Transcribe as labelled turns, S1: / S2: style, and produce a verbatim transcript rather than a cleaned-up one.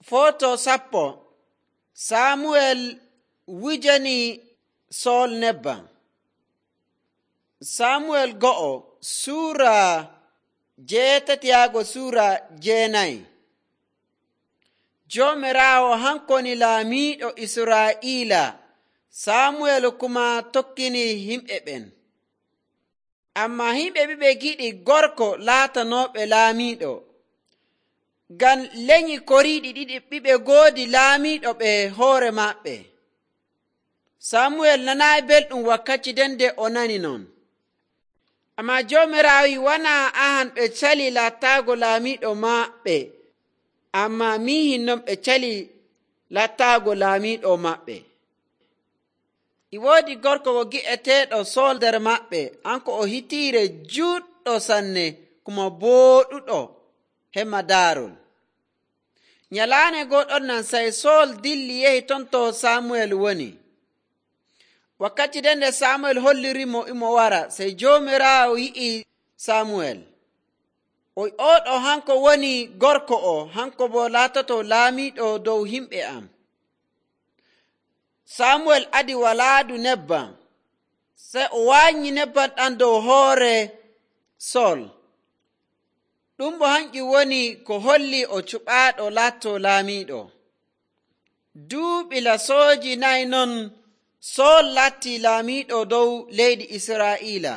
S1: Foto sappo. Samuel wujani Sool nebbam. Samuel go'o suura jeetati yaago suura jeenayi. Joomiraawo hankoni laamiiɗo Israa'iila. Samuel kuma tokkini himɓe ɓen. Ammaa himɓe ɓiɓe giɗi gorko laatanooɓe laamiiɗo. Ngam lenyi koriiɗi ɗiɗi ɓiɓe ngoodi laamiiɗo ɓe hoore maɓɓe. Samuel nanaayi belɗum wakkati nden nde o nani non. Ammaa Joomiraawo wi wanaa ahan ɓe cali lattaago laamiiɗo maɓɓe, ammaa miihin non ɓe cali lattaago laamiiɗo maɓɓe. E woodi gorko ko gi'eteeɗo Sool nder maɓɓe. Hanko o hitiire juuɗɗo sanne kuma booɗuɗo hemma daarol. Nyalaande gooɗon nan sey Sool dilli yehi ton to Samuel woni. Wakkati nden nde Samuel hollirimo imo wara, sey Joomiraawo yi'i Samuel. O wi oɗo hanko woni gorko o, hanko bo laatoto laamiiɗo dow himɓe am. Samuel adi walaadu nebbam, sey o waanyi nebbam ɗam dow hoore Sool. Ɗum bo hanƴum woni ko holli o cuɓaaɗo laatto laamiiɗo. Duuɓi lasooji nayi non Sool laatti laamiiɗo dow leydi Israa'iila.